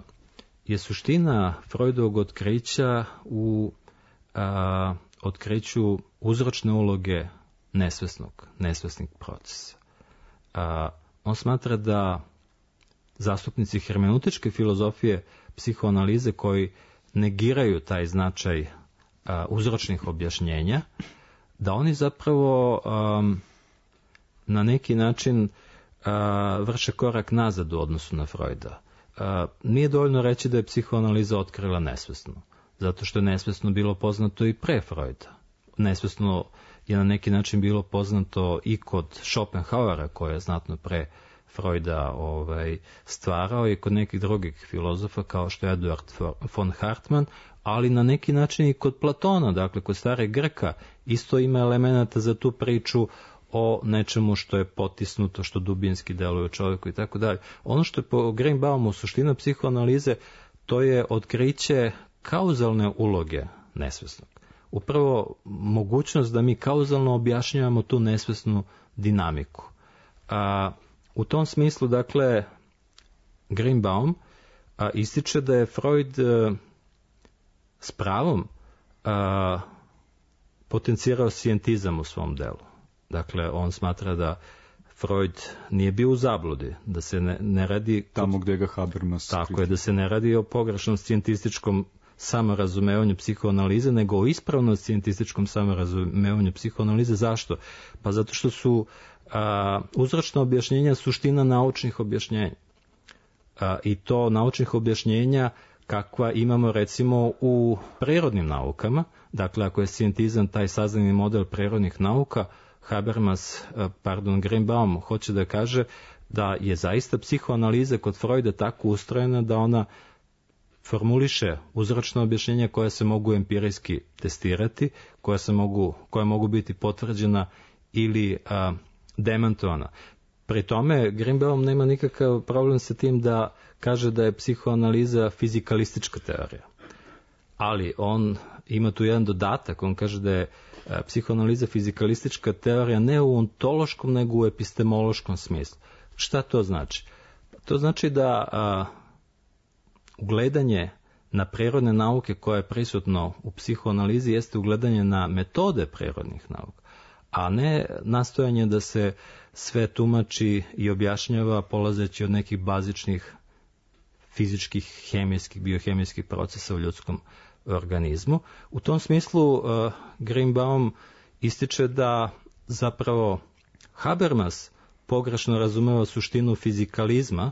je suština Freudovog otkrića u a, otkriću uzročne uloge nesvesnog, nesvesnih procesa. A, on smatra da zastupnici hermeneutičke filozofije psihoanalize koji negiraju taj značaj a, uzročnih objašnjenja, da oni zapravo a, na neki način a, vrše korak nazad u odnosu na Freuda. A, nije dovoljno reći da je psihoanaliza otkrila nesvesno, zato što je nesvesno bilo poznato i pre Freuda. Nesvesno je na neki način bilo poznato i kod Schopenhauera, koji je znatno pre Freuda ovaj, stvarao, i kod nekih drugih filozofa kao što je Eduard von Hartmann, ali na neki način i kod Platona, dakle kod starih Grka, isto ima elemenata za tu priču o nečemu što je potisnuto, što dubinski deluje u čovjeku i tako dalje. Ono što je po Greenbaumu suština psihoanalize, to je otkriće kauzalne uloge nesvesnog. Upravo mogućnost da mi kauzalno objašnjavamo tu nesvesnu dinamiku. A, u tom smislu, dakle, Greenbaum a, ističe da je Freud a, s pravom a, potencirao scientizam u svom delu. Dakle, on smatra da Freud nije bio u zabludi, da se ne, ne radi... Tamo gde ga Habermas... Tako je, da se ne radi o pogrešnom scijentističkom samorazumevanju psihoanalize, nego o ispravnom scijentističkom samorazumevanju psihoanalize. Zašto? Pa zato što su a, uzročna objašnjenja suština naučnih objašnjenja. A, I to naučnih objašnjenja kakva imamo recimo u prirodnim naukama. Dakle, ako je scientizam taj saznani model prirodnih nauka, Habermas, pardon, Greenbaum hoće da kaže da je zaista psihoanaliza kod Freuda tako ustrojena da ona formuliše uzročna objašnjenja koja se mogu empirijski testirati, koja se mogu, koja mogu biti potvrđena ili a, demantovana. Pri tome Greenbaum nema nikakav problem sa tim da kaže da je psihoanaliza fizikalistička teorija. Ali on ima tu jedan dodatak, on kaže da je psihoanaliza fizikalistička teorija ne u ontološkom, nego u epistemološkom smislu. Šta to znači? To znači da a, ugledanje na prirodne nauke koje je prisutno u psihoanalizi jeste ugledanje na metode prirodnih nauka, a ne nastojanje da se sve tumači i objašnjava polazeći od nekih bazičnih fizičkih, hemijskih, biohemijskih procesa u ljudskom organizmu. U tom smislu uh, Greenbaum ističe da zapravo Habermas pogrešno razumeva suštinu fizikalizma,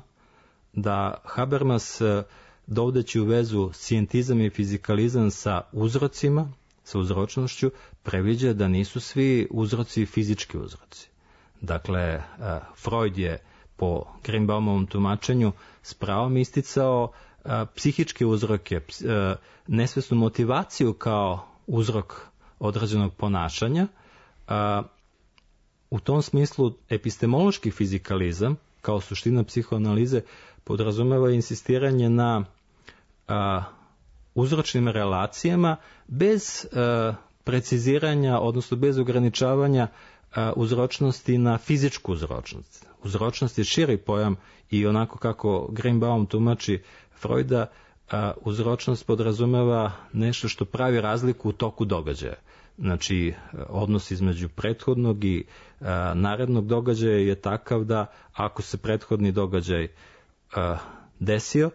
da Habermas uh, dovodeći u vezu scientizam i fizikalizam sa uzrocima, sa uzročnošću, previđa da nisu svi uzroci fizički uzroci. Dakle, uh, Freud je po Greenbaumovom tumačenju s pravom isticao a, psihičke uzroke, a, nesvesnu motivaciju kao uzrok određenog ponašanja. A, u tom smislu epistemološki fizikalizam kao suština psihoanalize podrazumeva insistiranje na a, uzročnim relacijama bez a, preciziranja, odnosno bez ograničavanja a, uzročnosti na fizičku uzročnost. Uzročnost je širi pojam i onako kako Greenbaum tumači Freuda, a, uzročnost podrazumeva nešto što pravi razliku u toku događaja. Znači, odnos između prethodnog i a, narednog događaja je takav da ako se prethodni događaj a, desio,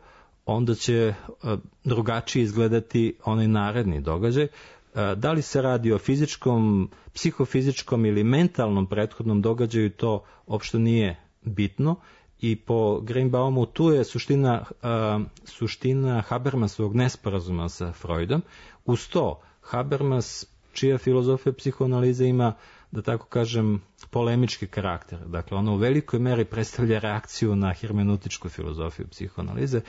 onda će a, drugačije izgledati onaj naredni događaj. A, da li se radi o fizičkom, psihofizičkom ili mentalnom prethodnom događaju, to uopšte nije bitno. I po Greenbaumu tu je suština, uh, suština Habermasovog nesporazuma sa Freudom. Uz to, Habermas, čija filozofija psihoanalize ima, da tako kažem, polemički karakter. Dakle, ona u velikoj meri predstavlja reakciju na hermeneutičku filozofiju psihoanalize.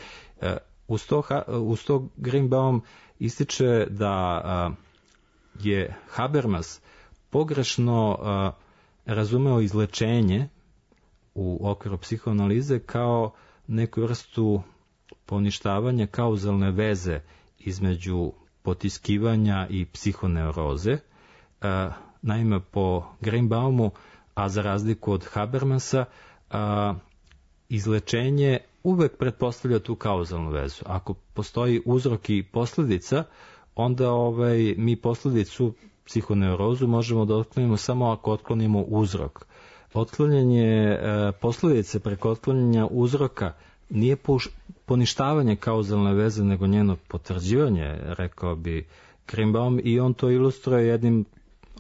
Uh, uz, to, uz to Greenbaum ističe da uh, je Habermas pogrešno uh, razumeo izlečenje u okviru psihoanalize kao neku vrstu poništavanja kauzalne veze između potiskivanja i psihoneuroze. E, naime, po Greenbaumu, a za razliku od Habermasa, a, izlečenje uvek pretpostavlja tu kauzalnu vezu. Ako postoji uzrok i posledica, onda ovaj, mi posledicu, psihoneurozu, možemo da otklonimo samo ako otklonimo uzrok. Otklanjanje e, posledice preko otklanjanja uzroka nije puš, poništavanje kauzalne veze, nego njeno potvrđivanje, rekao bi Greenbaum, i on to ilustruje jednim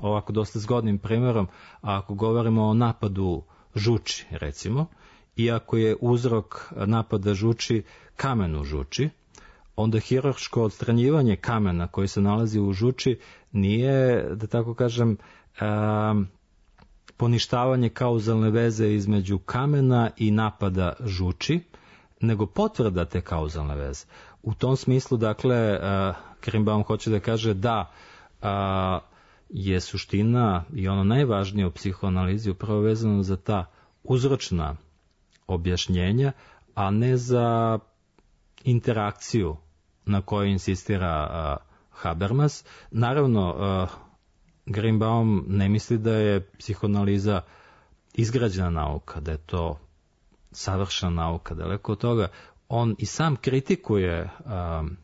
ovako dosta zgodnim primjerom. A ako govorimo o napadu žuči, recimo, i ako je uzrok napada žuči kamen u žuči, onda hirurško odstranjivanje kamena koji se nalazi u žuči nije, da tako kažem, a, poništavanje kauzalne veze između kamena i napada žuči, nego potvrda te kauzalne veze. U tom smislu, dakle, uh, Greenbaum hoće da kaže da uh, je suština i ono najvažnije u psihoanalizi upravo vezano za ta uzročna objašnjenja, a ne za interakciju na kojoj insistira uh, Habermas. Naravno, uh, Greenbaum ne misli da je psihoanaliza izgrađena nauka, da je to savršena nauka. Daleko od toga, on i sam kritikuje um,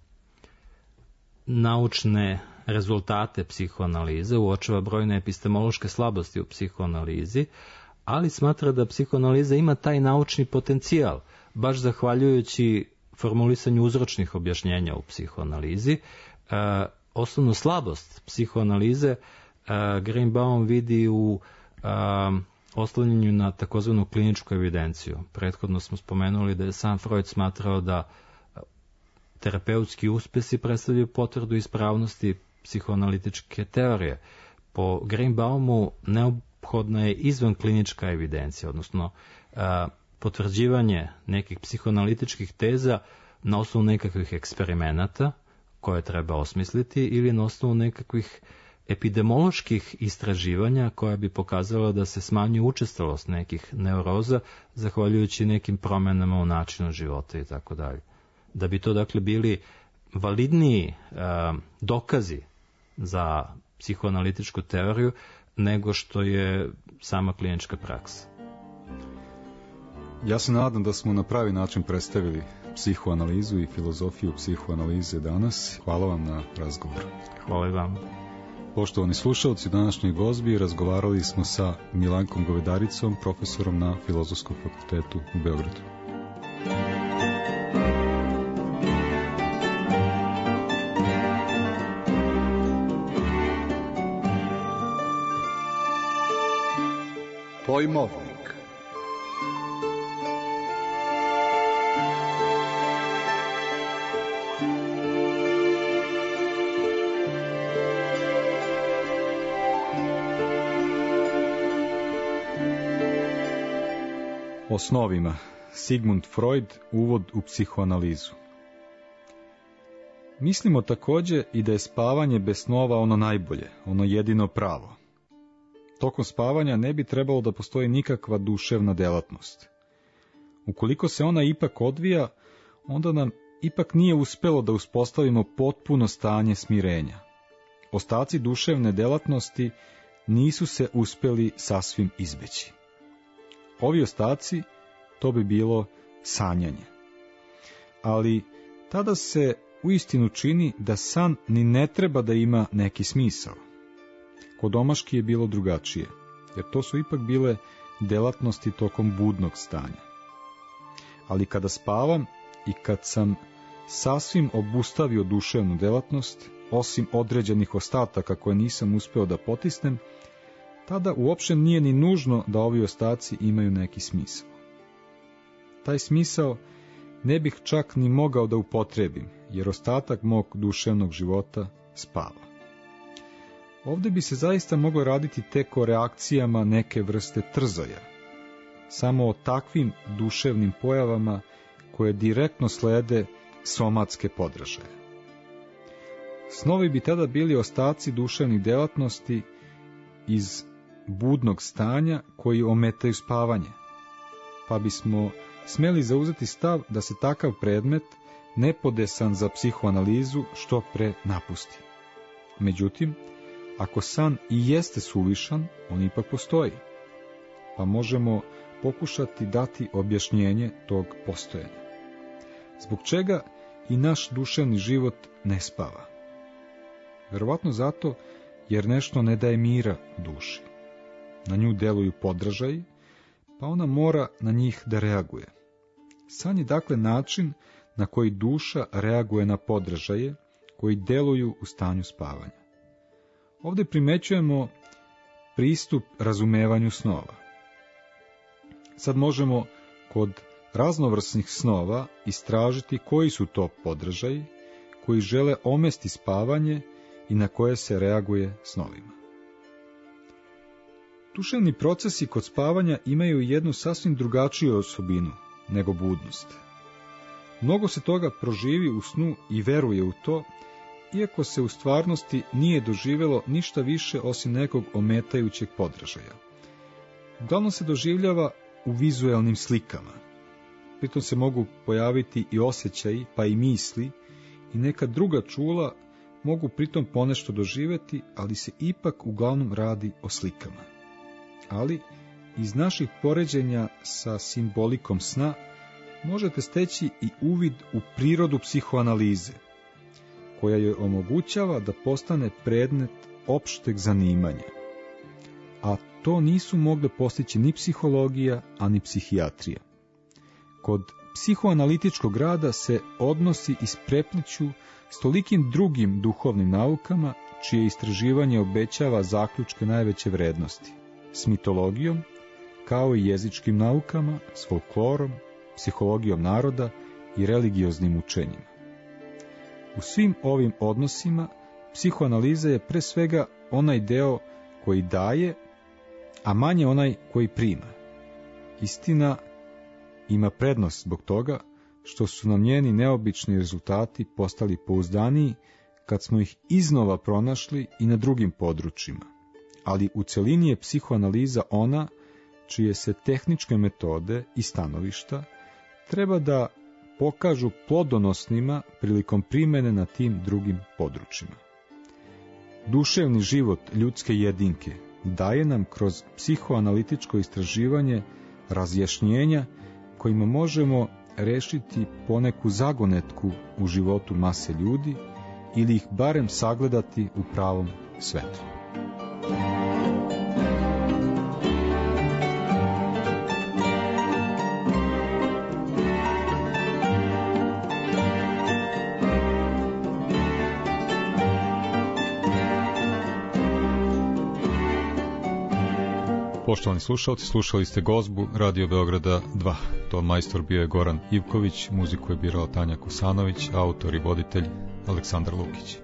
naučne rezultate psihoanalize, uočava brojne epistemološke slabosti u psihoanalizi, ali smatra da psihoanaliza ima taj naučni potencijal, baš zahvaljujući formulisanju uzročnih objašnjenja u psihoanalizi. Uh, osnovnu slabost psihoanalize uh, Greenbaum vidi u uh, oslanjanju na takozvanu kliničku evidenciju. Prethodno smo spomenuli da je sam Freud smatrao da terapeutski uspesi predstavljaju potvrdu ispravnosti psihoanalitičke teorije. Po Greenbaumu neophodna je izvan klinička evidencija, odnosno a, potvrđivanje nekih psihoanalitičkih teza na osnovu nekakvih eksperimenata koje treba osmisliti ili na osnovu nekakvih epidemioloških istraživanja koja bi pokazala da se smanjuje učestalost nekih neuroza zahvaljujući nekim promenama u načinu života i tako dalje. Da bi to dakle bili validniji a, dokazi za psihoanalitičku teoriju nego što je sama klinička praksa. Ja se nadam da smo na pravi način predstavili psihoanalizu i filozofiju psihoanalize danas. Hvala vam na razgovoru. Hvala i vam. Poštovani slušalci, u današnjoj gozbi razgovarali smo sa Milankom Govedaricom, profesorom na Filozofskom fakultetu u Beogradu. Pojmovnik. O snovima. Sigmund Freud, uvod u psihoanalizu. Mislimo takođe i da je spavanje bez snova ono najbolje, ono jedino pravo. Tokom spavanja ne bi trebalo da postoji nikakva duševna delatnost. Ukoliko se ona ipak odvija, onda nam ipak nije uspelo da uspostavimo potpuno stanje smirenja. Ostaci duševne delatnosti nisu se uspeli sasvim izbeći. Ovi ostaci, to bi bilo sanjanje. Ali tada se uistinu čini da san ni ne treba da ima neki smisao. Kod omaški je bilo drugačije, jer to su ipak bile delatnosti tokom budnog stanja. Ali kada spavam i kad sam sasvim obustavio duševnu delatnost, osim određenih ostataka koje nisam uspeo da potisnem, tada uopšte nije ni nužno da ovi ostaci imaju neki smisao. Taj smisao ne bih čak ni mogao da upotrebim, jer ostatak mog duševnog života spava. Ovde bi se zaista moglo raditi tek o reakcijama neke vrste trzaja, samo o takvim duševnim pojavama koje direktno slede somatske podražaje. Snovi bi tada bili ostaci duševnih delatnosti iz budnog stanja koji ometaju spavanje, pa bismo smeli zauzeti stav da se takav predmet, nepodesan za psihoanalizu, što pre napusti. Međutim, ako san i jeste suvišan, on ipak postoji, pa možemo pokušati dati objašnjenje tog postojanja. Zbog čega i naš duševni život ne spava? Verovatno zato jer nešto ne daje mira duši. Na nju deluju podražaji, pa ona mora na njih da reaguje. San je dakle način na koji duša reaguje na podražaje koji deluju u stanju spavanja. Ovde primećujemo pristup razumevanju snova. Sad možemo kod raznovrsnih snova istražiti koji su to podražaji koji žele omesti spavanje i na koje se reaguje snovima. Duševni procesi kod spavanja imaju jednu sasvim drugačiju osobinu nego budnost. Mnogo se toga proživi u snu i veruje u to, iako se u stvarnosti nije doživjelo ništa više osim nekog ometajućeg podražaja. Uglavnom se doživljava u vizuelnim slikama. Pritom se mogu pojaviti i osjećaji, pa i misli, i neka druga čula mogu pritom ponešto doživjeti, ali se ipak uglavnom radi o slikama. Ali iz naših poređenja sa simbolikom sna možete steći i uvid u prirodu psihoanalize, koja joj omogućava da postane predmet opšteg zanimanja. A to nisu mogle postići ni psihologija, a ni psihijatrija. Kod psihoanalitičkog rada se odnosi isprepliću s tolikim drugim duhovnim naukama, čije istraživanje obećava zaključke najveće vrednosti, s mitologijom, kao i jezičkim naukama, s folklorom, psihologijom naroda i religioznim učenjima. U svim ovim odnosima psihoanaliza je pre svega onaj deo koji daje, a manje onaj koji prima. Istina ima prednost zbog toga što su nam njeni neobični rezultati postali pouzdaniji kad smo ih iznova pronašli i na drugim područjima. Ali u celini je psihoanaliza ona čije se tehničke metode i stanovišta treba da pokažu plodonosnima prilikom primene na tim drugim područjima. Duševni život ljudske jedinke daje nam kroz psihoanalitičko istraživanje razjašnjenja kojima možemo rešiti poneku zagonetku u životu mase ljudi ili ih barem sagledati u pravom svetlu. Poštovani slušalci, slušali ste gozbu Radio Beograda dva. Ton majstor bio je Goran Ivković, muziku je birala Tanja Kosanović, autor i voditelj Aleksandar Lukić.